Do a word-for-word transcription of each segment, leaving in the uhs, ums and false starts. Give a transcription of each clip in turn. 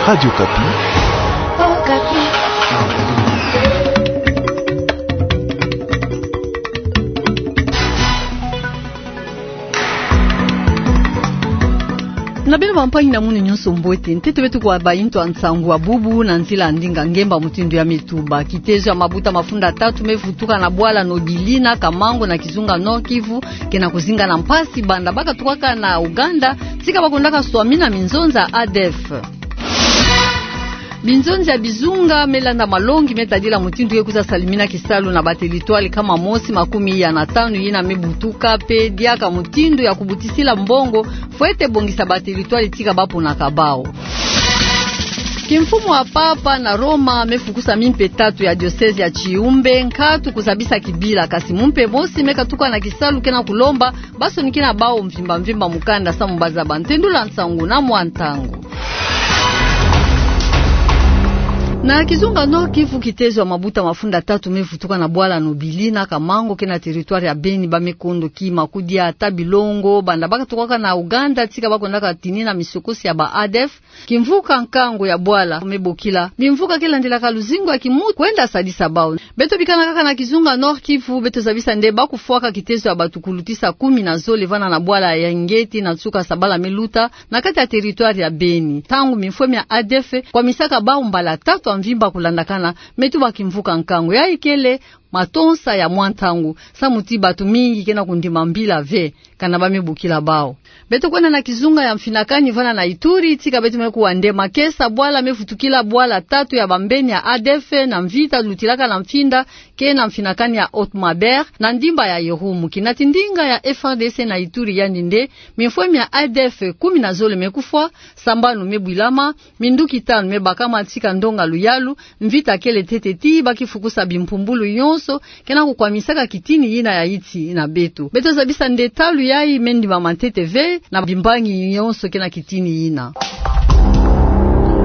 Radio Okapi. Na beno bampangi na munu nyonso mbote, ntete beto kwa bayi ntu a nsangu a bubu na nzila ya ndinga ngemba mutindu ya mituba. Kitezo ya mabuta mafunda tatu me vutuka na bwala Nobili na Kamango na kizunga Nord-Kivu, ke na kuzinga na mpasi banda ba katukaka na Ouganda, tika ba kondaka swamina minzonza A D F. Binzonzi ya bizunga me landa malongi me tadila mutindu ke kwiza salimina kisalu na ba territoire nkama mosi makumi iya na tanu yina me butuka, mpe diaka mutindu ya kubutisila mbongo, fwete bongisa ba territoire tika ba ponaka bawu. Kimfumu ya Papa na Roma me fukusa mimpe tatu ya diocèse ya Tchioumbe nkatu kuzabisa kibila, kasi mumpe mosi me katuka na kisalu ke na kulomba ba sonikina bawu mvimba mvimba mukanda samu ba zaba ntendula nsangu na mwa ntangu. Na kizunga Nord-Kivu, kitezo ya mabuta mafunda tatu me vutuka na bwala Nobili na Kamango ke na territoire ya Beni, ba me kondo kima, kudia ata bilongo banda ba katukaka na Ouganda tika ba kondaka tinina misokosi ya ba A D F. Kimvuka nkangu ya bwala me bokila bimvuka ke landilaka luzingu ya kimuntu kwenda sadisa bawu. Beto bikana kaka na kizunga Nord-Kivu, beto zabisa nde ba kufwaka kitezo ya bato kulutisa kumi na zole vana na bwala ya Ingeti na nsuka sabala me luta na kati ya territoire ya Beni, ntangu mifwe mia A D F kwamisaka bawu mbala tatu ya mvimba kulandakana, me tuba kimvuka nkangu. Yayi kele matonsa ya mwa ntangu, samu ti bato mingi ke na kundima mbila ve, kana ba me bokila bawu. Beto kwenda na kizunga ya Mfinakani vana na Ituri, tika beto me kuwa nde makesa bwala me vutukila bwala tatu ya bambeni ya A D F na mvita lutilaka na Mfinda ke na Mfinakani ya Haut-Maubert na ndimba ya Irumu. Kinati ndinga ya F A R D C na Ituri, yandi nde mifwe mia A D F kumi na zole me kufwa, sambanu me bwilama, minduki tanu me bakama tika ndonga luyalu. Mvita kele ntete ti ba kifukusa bimpumbulu yonso ke na kukwamisaka kitini yina ya iti na beto. Beto zabisa nde talu yayi me ndimama ntete ve na bimbangi yonso ke na kitini yina.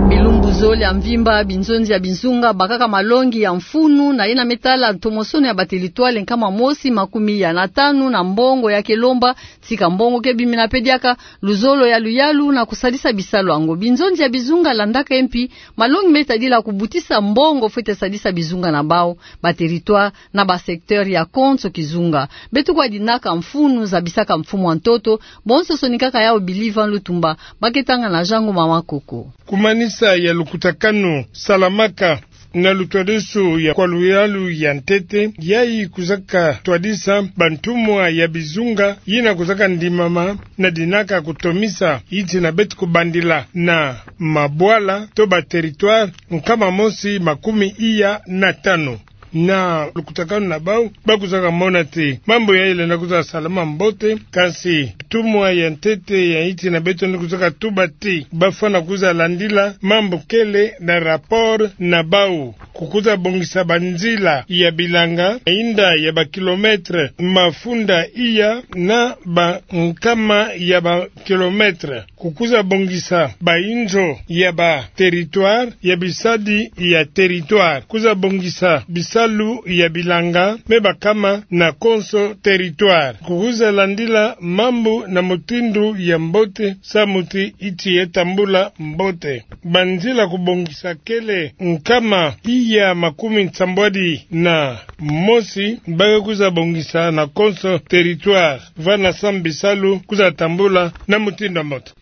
Bilumbu zole ya mvimba, binzonzi ya bizunga bakaka malongi ya mfunu na yina me tala ntomosono ya ba territoire nkama mosi makumi iya na tanu na mbongo ya kelomba, tika mbongo ke bimina mpe diaka luzolo ya luyalu na kusadisa bisalu yango. Binzonzi ya bizunga landaka mpi malongi me tadila kubutisa mbongo fwete sadisa bizunga na bawu, ba territoire na ba secteur ya konso kizunga. Beto kwa dinaka mfunu zabisaka mfumu a ntoto, bonso sonikaka yawu Bili Van Lutumba, ba ke tanga na Jean Ngoma Makoko. Kumanisa ya lukutakanu salamaka na lutwadisu ya kwa luyalu ya ntete, yayi kwizaka twadisa bantumwa ya bizunga yina kwizaka ndimama na dinaka kutomisa iti na beto kubandila na mabwala to ba territoire nkama mosi makumi iya na tanu. Na lukutakanu na bawu, ba kwizaka mona ti mambu yayi lenda kwiza salama mbote, kansi ntumwa ya ntete ya iti na beto ni kwizaka tuba ti ba fwana kwiza landila mambu kele na rapport na bawu. Kukwiza bongisa banzila ya bilanga, inda ya ba kilomètre mafunda iya na ba nkama ya ba kilomètre. Kukwiza bongisa bayinzo ya ba territoire, ya bisadi ya territoire. Kwiza bongisa bisalu ya bilanga me bakama na konso territoire. Kukwiza landila mambu na mutindu ya mbote, samu ti iti ye tambula mbote. Banzila kubongisa kele nkama iya makumi nsambwadi na mosi ba ke kwiza bongisa na konso territoire, vana samu bisalu kwiza tambula na mutindu ya mbote.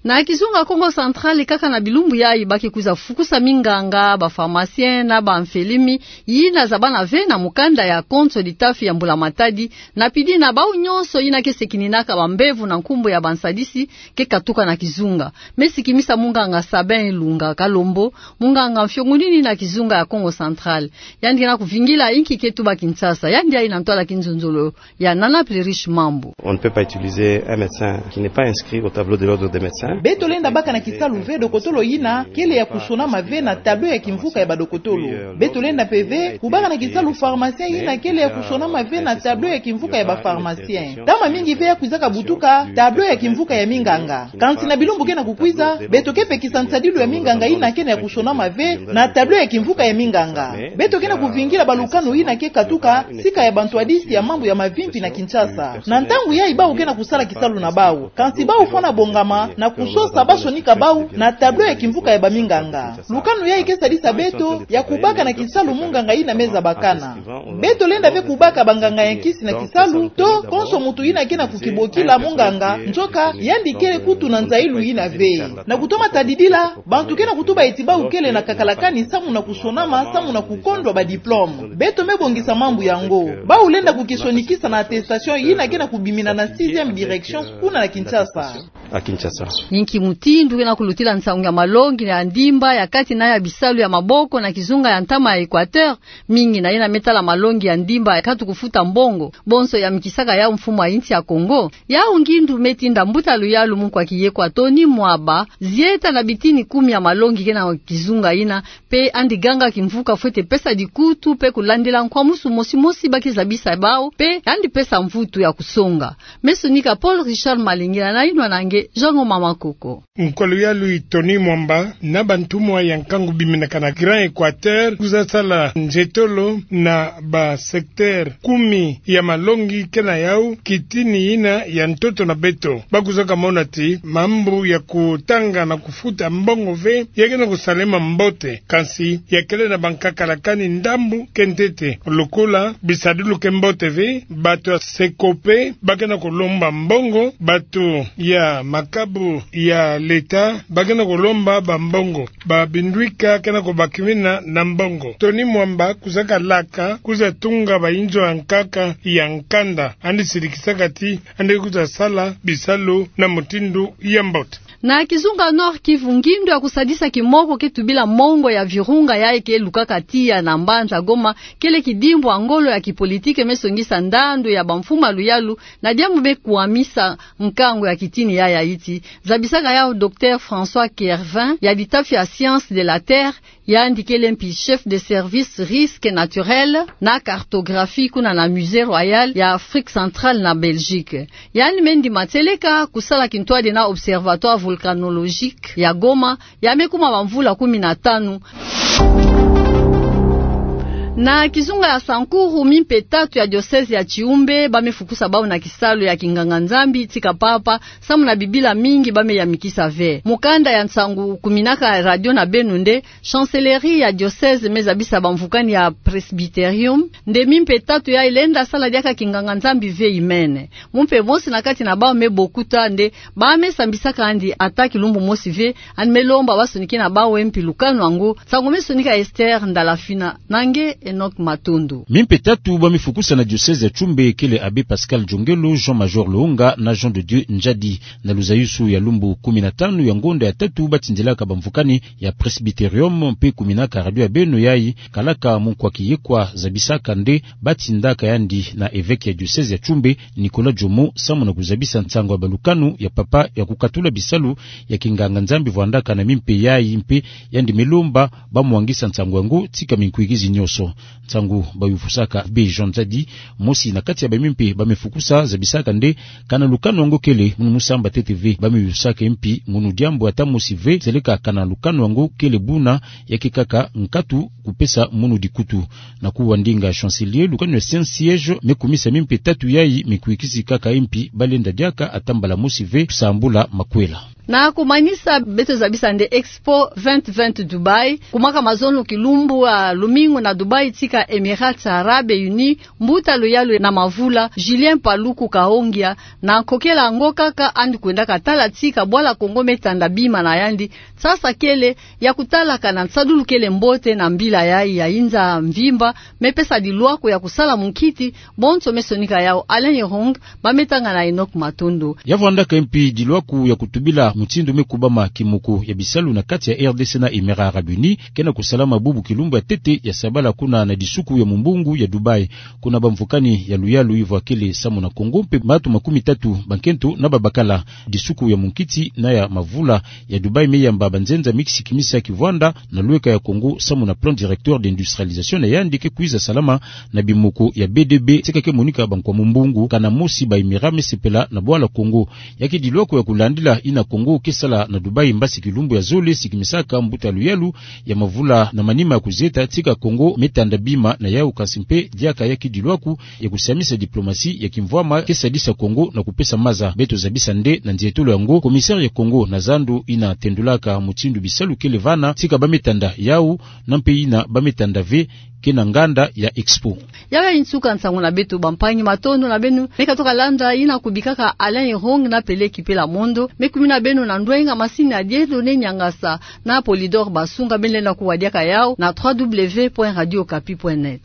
Na kizunga Kongo Central, kaka na bilumbu yayi ba ke kwiza fukusa minganga, ba pharmacien na ba mfelimi yina zabana ve na mukanda ya konso ditafi ya Mbula Matadi, na pidi na bawu nyonso yina ke sekininaka bambevo na nkumbu ya bansadisi ke katuka na kizunga. Me sikimisa munganga Sabin Ilunga Kalombo, munganga mfiongunini na kizunga ya Kongo Central. Yandi ke na kuvingila inki ke tuba Kinshasa. Yandi yayi na ntwala kinzonzolo ya Nana Plerish Mambu. On ne peut pas utiliser un médecin qui n'est pas inscrit au tableau de l'ordre des médecins. Beto lenda baka na kisalu ve dokotolo yina kele ya kusonama ve na tableau ya kimvuka ya badokotolo. Beto lenda mpe ve kubaka na kisalu pharmacien yina kele ya kusonama ve na tableau ya kimvuka ya ba pharmacien. Ntama mingi ve ya kwizaka butuka tableau ya kimvuka ya minganga. Kansi na bilumbu ke na kukwiza, beto ke pekisa nsadilu ya minganga yina ke na ya kusonama ve na tableau ya kimvuka ya minganga. Beto ke na kuvingila balukanu yina ke katuka sika ya bantwadisi ya mambu ya mavimpi na Kinshasa. Na ntangu yayi bawu ke na kusala kisalu na bawu. Kansi bawu fwana bongama na ku sosa basonika bau na tableau ya kimvuka ya baminganga. Lukanu yayi ke sadisa beto ya kubaka na kisalu munganga yina me zabakana. Beto lenda ve kubaka banganga ya nkisi na kisalu, to konso muntu yina ke na kukibokila munganga, nzoka yandi kele kutu na nzayilu yina ve. Na kutoma tadidila, bantu ke na kutuba ti bau kele na kakalakani samu na kusonama, samu na kukondwa ba diplôme. Beto me bongisa mambu yango. Bau lenda kukisonikisa na attestation yina ke na kubimina na sixième direction kuna na Kinshasa. Inki mutindu ke na kulutila nsangu ya malongi ya ndimba ya kati na ya bisalu ya maboko na kizunga ya ntama ya Equateur, mingi na yina me tala malongi ya ndimba ya katu kufuta mbongo, bonso ya mikisaka yau mfumu ya insi ya Congo. Yau ngindu me tinda mbuta luyalu munkwa kiyekwa Tony Mwaba zieta na bitini kumi ya malongi ke na kizunga yina, mpe yandi ganga kimvuka fwete pesa dikutu mpe kulandila nkwamusu mosi mosi ba ke zabisa bau, mpe yandi pesa mvutu ya kusonga. Me sonika Paul Richard Malingila na yinwa na nge Jean Ngoma Makoko. Nkwa luyalu Tony Mwaba na bantumwa ya nkangu biminaka na Grand Equateur kwiza sala nzetolo na ba secteur kumi ya malongi ke na yau kitini yina ya ntoto na beto. Ba kwizaka mona ti mambu ya kutanga na kufuta mbongo ve ya ke na kusalema mbote, kansi ya kele na bankakalakani ndambu ke ntete. Lokola bisadulu ke mbote ve, bato ya SECOPE ba ke na kulomba mbongo, bato ya makabu ya l'État ba ke na kulomba bambongo, babindwika ke na kubakimina na mbongo. Tony Mwaba kwizaka laka kwiza tunga ba inzo ya nkaka ya nkanda, yandi sirikisaka ti yandi kwiza sala bisalu na mutindu ya mbote. Na kizunga Nord-Kivu, ngindu ya kusadisa kimoko ke tubila mongo ya virunga yayi ke lukaka tiya na mbanza Goma kele kidimbu ya ngolo ya kipolitike me songisa ndandu ya bamfumu ya luyalu, na diambu me kwamisa nkangu ya kitini yayi ya insi, zabisaka yau Docteur François Kervin ya litafi ya Sciences de la Terre, yandi kele mpi chef de service risque naturel na cartographie kuna na Musée Royal ya Afrique Centrale na Belgique. Yandi me ndima tieleka kusala kintwadi na Observatoire Volcanologique ya Goma, ya me kuma bamvula kumi na tanu. Na kizunga ya Sankuru, mimpe tatu ya diocèse ya Tshiumbe ba me fukusa bau na kisalu ya kinganga-Nzambi tika papa, samu na bibila mingi ba me yamikisa ve. Mukanda ya nsangu kuminaka radio na beno nde chancellerie ya diocèse me zabisa bamvukani ya presbyterium nde mimpe tatu yayi lenda sala diaka kinganga-Nzambi ve imene. Mumpe mosi na kati na bau me bokuta nde ba me sambisaka yandi ata kilumbu mosi ve, yandi me lomba ba sonikena bau mpi lukanu yango. Nsangu me sonika Esther Ndalafina na nge Enoch Matondo. Mimpe tatu ba me fukusa na diocèse ya Tshiumbe kele Abbé Pascal Djongelo, Jean Major Lounga na Jean de Dieu Ndjadi. Na luzayusu ya lumbu kumi na tanu ya ngonda ya tatu ba tindilaka bamvukani ya presbyterium mpe kuminaka radio ya beno yayi, kalaka munkwa kiyekwa zabisaka nde ba tindaka yandi na évêque ya diocèse ya Tshiumbe, Nicolas Jomo, samu na kuzabisa nsangu ya balukanu ya papa ya kukatula bisalu ya kinganga-Nzambi vwandaka na mimpe yayi, mpe yandi me lomba ba mwangisa nsangu yango tika minkwikizi nyonso. Nsangu ba yufusaka Abbé Jean Ndjadi, mosi na kati ya ba mimpe ba me fukusa, zabisaka nde kana lukanu yango kele, munu mu samba ntete ve ba me yufusaka mpi munu diambu ata mosi ve, seleka kana lukanu yango kele buna ya ke kaka nkatu kupesa munu dikutu. Na kuwa ndinga chancelier, lukanu ya Saint-Siège me kumisa mimpe tatu yayi mikwikisi kaka mpi ba lenda diaka ata mbala mosi ve kusambula makwela. Na kumanisa, beto zabisa nde Expo vingt vingt Dubaï, kumaka mazono kilumbu ya lumingu na Dubaï tika Émirats Arabes Unis, mbuta luyalu na mavula Julien Paluku Kahongya, na nkokela yango kaka yandi kwendaka tala tika bwala Kongo me tanda bima na yandi, nsasa kele ya kutala kana nsadulu kele mbote na mbila yayi ya inza mvimba, me pesa dilwako ya kusala munkiti, bonso me sonika yau Alain Irung, ba me tanga na Enoch Matondo. Ya vwandaka mpi dilwako ya kutubila mutindu me kubama kimoko ya bisalu na kati ya R D C na Émirats Arabes Unis, ke na kusalama bubu kilumbu ya ntete ya sabala kuna na disuku ya mumbungu ya Dubaï. Kuna bamvukani ya luyalu ivwa kele samu na Kongo mpe batu makumi tatu bankento na babakala. Disuku ya munkiti na ya mavula ya Dubaï me yamba banzenza me kisikimisa kivwanda na lweka ya Kongo samu na plan directeur d'industrialisation na yandi ke kwiza salama na bimoko ya B D B, tika ke monika bankwa mumbungu kana mosi ba Émirats me sepela na bwala Kongo. Ya ke dilwako ya kulandila ina Kongo Oyo ke sala na Dubaï mbasi kilumbu ya zole siki misaka mbuta luyalu ya mavula na manima ya kuzieta tika Kongo metanda bima na yawu, kansi mpe diaka ya kidilu aku ya kusiamisa diplomatie ya kimvwama ke sadisa Kongo na kupesa maza. Beto zabisa nde na ndietolo yango, commissaire ya Kongo na zandu ina tendulaka mutindu bisalu kele vana tika bametanda yawu, na mpe ina bametanda ve ke na nganda ya Expo. Yawu ya nsuka nsangu na beto bampangi, matondo na beno. Me katoka landa ina kubikaka Alain Irong na Pele Kipela Mondo. Me kumina beno na ndwenga masini ya Dieudonné Niangasa na Polydor Basunga, beno lenda kuwa diaka yawu na trois W point radio okapi point net.